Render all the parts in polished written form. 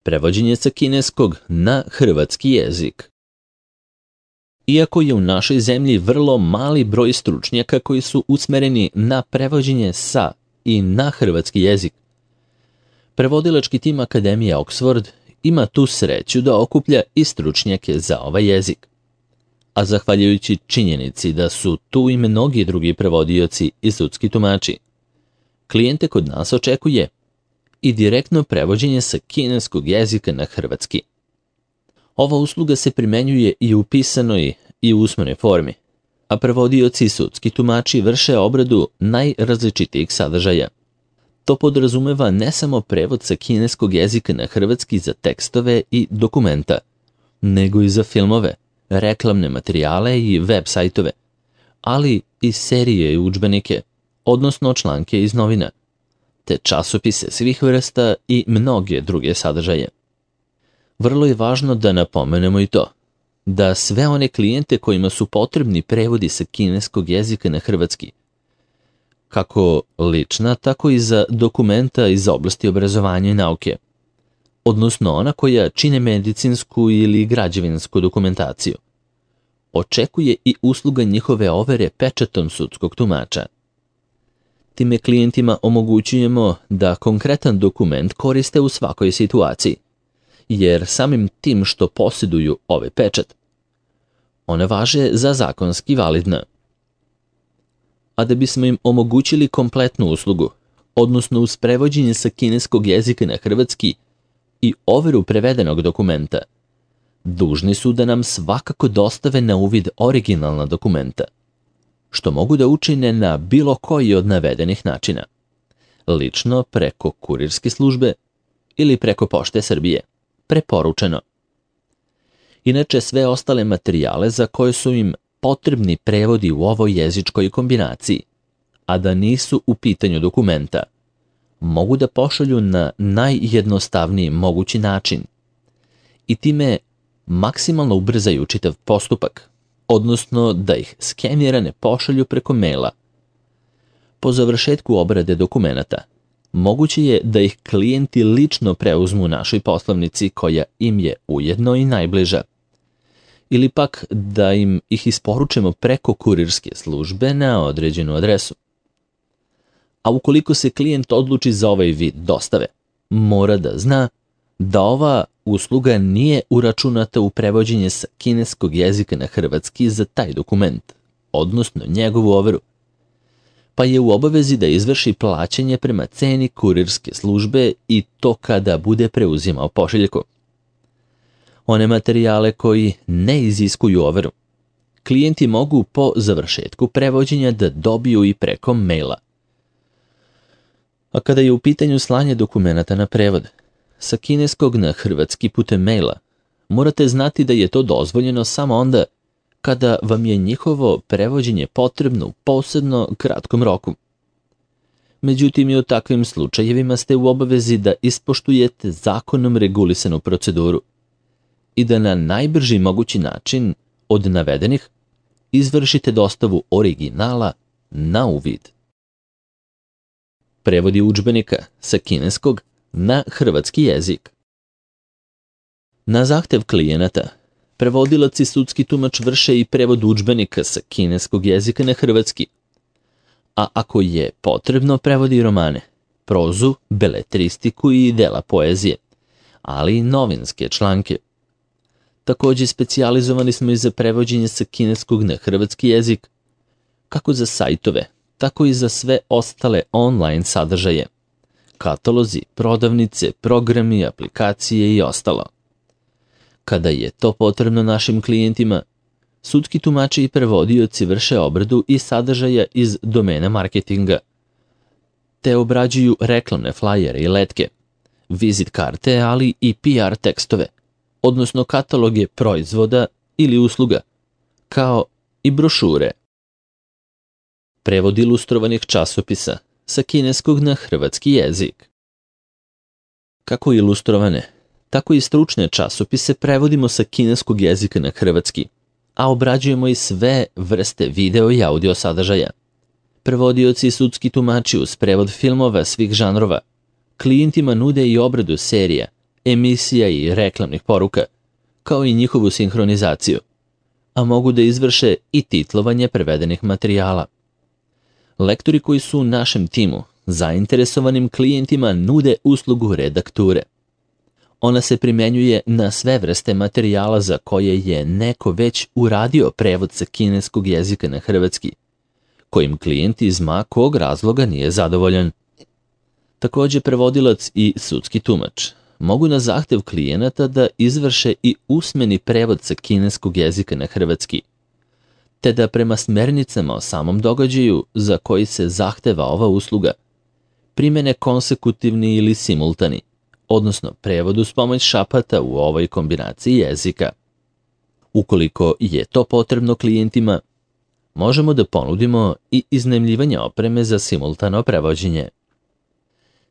Prevođenje sa kineskog na hrvatski jezik. Iako je u našoj zemlji vrlo mali broj stručnjaka koji su usmereni na prevođenje sa i na hrvatski jezik, prevodilački tim Akademije Oxford ima tu sreću da okuplja i stručnjake za ovaj jezik. A zahvaljujući činjenici da su tu i mnogi drugi prevodioci i sudski tumači, klijente kod nas očekuje i direktno prevođenje sa kineskog jezika na hrvatski. Ova usluga se primenjuje i u pisanoj i u usmenoj formi, a prevodioci i sudski tumači vrše obradu najrazličitijih sadržaja. To podrazumeva ne samo prevod sa kineskog jezika na hrvatski za tekstove i dokumenta, nego i za filmove, reklamne materijale i web sajtove, ali i serije i udžbenike, odnosno članke iz novina, te časopise svih vrsta i mnoge druge sadržaje. Vrlo je važno da napomenemo i to, da sve one klijente kojima su potrebni prevodi sa kineskog jezika na hrvatski, kako lična, tako i za dokumenta iz oblasti obrazovanja i nauke, odnosno ona koja čine medicinsku ili građevinsku dokumentaciju, očekuje i usluga njihove overe pečatom sudskog tumača. Time klijentima omogućujemo da konkretan dokument koriste u svakoj situaciji, jer samim tim što posjeduju ovaj pečat, one važe za zakonski validna. A da bismo im omogućili kompletnu uslugu, odnosno uz prevođenje sa kineskog jezika na hrvatski i overu prevedenog dokumenta, dužni su da nam svakako dostave na uvid originalna dokumenta, što mogu da učine na bilo koji od navedenih načina, lično preko kurirske službe ili preko Pošte Srbije, preporučeno. Inače, sve ostale materijale za koje su im potrebni prevodi u ovoj jezičkoj kombinaciji, a da nisu u pitanju dokumenta, mogu da pošalju na najjednostavniji mogući način i time maksimalno ubrzaju čitav postupak, odnosno da ih skenirane pošalju preko maila. Po završetku obrade dokumenata, moguće je da ih klijenti lično preuzmu u našoj poslovnici koja im je ujedno i najbliža, ili pak da im ih isporučemo preko kurirske službe na određenu adresu. A ukoliko se klijent odluči za ovaj vid dostave, mora da zna da ova usluga nije uračunata u prevođenje sa kineskog jezika na hrvatski za taj dokument, odnosno njegovu overu, pa je u obavezi da izvrši plaćanje prema ceni kurirske službe i to kada bude preuzimao pošiljku. One materijale koji ne iziskuju overu, klijenti mogu po završetku prevođenja da dobiju i preko maila. A kada je u pitanju slanje dokumenata na prevod sa kineskog na hrvatski putem maila, morate znati da je to dozvoljeno samo onda kada vam je njihovo prevođenje potrebno u posebno kratkom roku. Međutim, i u takvim slučajevima ste u obavezi da ispoštujete zakonom regulisanu proceduru i da na najbrži mogući način od navedenih izvršite dostavu originala na uvid. Prevodi udžbenika sa kineskog na hrvatski jezik. Na zahtev klijenata, prevodilac i sudski tumač vrše i prevod udžbenika sa kineskog jezika na hrvatski, a ako je potrebno, prevodi romane, prozu, beletristiku i dela poezije, ali i novinske članke. Također specijalizovani smo i za prevođenje sa kineskog na hrvatski jezik, kako za sajtove, tako i za sve ostale online sadržaje, katalozi, prodavnice, programi, aplikacije i ostalo. Kada je to potrebno našim klijentima, sudski tumači i prevodioci vrše obradu i sadržaja iz domena marketinga, te obrađuju reklamne flajere i letke, vizit karte, ali i PR tekstove, odnosno kataloge proizvoda ili usluga, kao i brošure. Prevod ilustrovanih časopisa sa kineskog na hrvatski jezik. Kako ilustrovane, tako i stručne časopise prevodimo sa kineskog jezika na hrvatski, a obrađujemo i sve vrste video i audio sadržaja. Prevodioci i sudski tumači uz prevod filmova svih žanrova klijentima nude i obradu serija, emisija i reklamnih poruka, kao i njihovu sinhronizaciju, a mogu da izvrše i titlovanje prevedenih materijala. Lektori koji su u našem timu zainteresovanim klijentima nude uslugu redakture. Ona se primenjuje na sve vrste materijala za koje je neko već uradio prevod sa kineskog jezika na hrvatski, kojim klijent iz ma kog razloga nije zadovoljan. Također prevodilac i sudski tumač mogu na zahtev klijenata da izvrše i usmeni prevod sa kineskog jezika na hrvatski, te da prema smernicama o samom događaju za koji se zahteva ova usluga primene konsekutivni ili simultani, odnosno prevod uz pomoć šapata u ovoj kombinaciji jezika. Ukoliko je to potrebno klijentima, možemo da ponudimo i iznajmljivanje opreme za simultano prevođenje.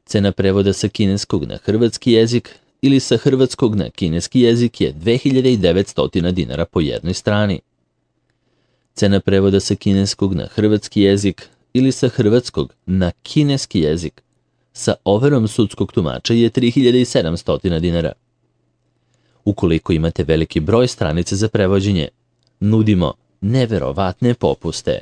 Cena prevoda sa kineskog na hrvatski jezik ili sa hrvatskog na kineski jezik je 2900 dinara po jednoj strani. Cena prevoda sa kineskog na hrvatski jezik ili sa hrvatskog na kineski jezik sa overom sudskog tumača je 3700 dinara. Ukoliko imate veliki broj stranica za prevođenje, nudimo neverovatne popuste.